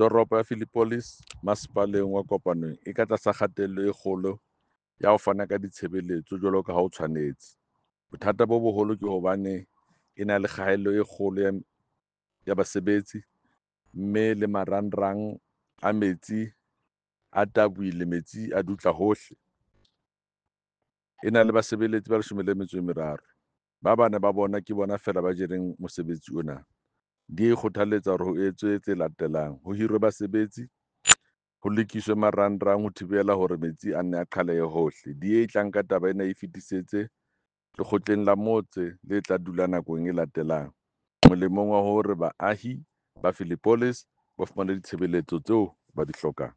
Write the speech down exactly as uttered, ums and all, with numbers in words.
Toropo ya Philippolis Masepaleng wa Kopanong e ka tlasa kgatello e kgolo ya ho fana ka ditshebeletso jwalo ka ha ho tshwanetse. Bothata bo boholo ke hobane e na le kgaello e kgolo ya ya basebetsi mme le marangrang a metsi a tabohile, metsi a dutla hohle. E na le basebeletsi ba leshome le metso e meraro. Ba bane ba bona ke bona feela ba jereng mosebetsi ona. Di kgothaletsa hore ho etswe tse latelang. Ho hirwe basebetsi, ho lokiswe marangrang ho thibela hore metsi a nne a qhalehe hohle. D_A e tla nka taba ena e fetisetse lekgotleng la motse le tla dula nakong e latelang. Molemong wa hore baahi ba Philippolis ba fumane ditshebeletso tseo ba di hlokang.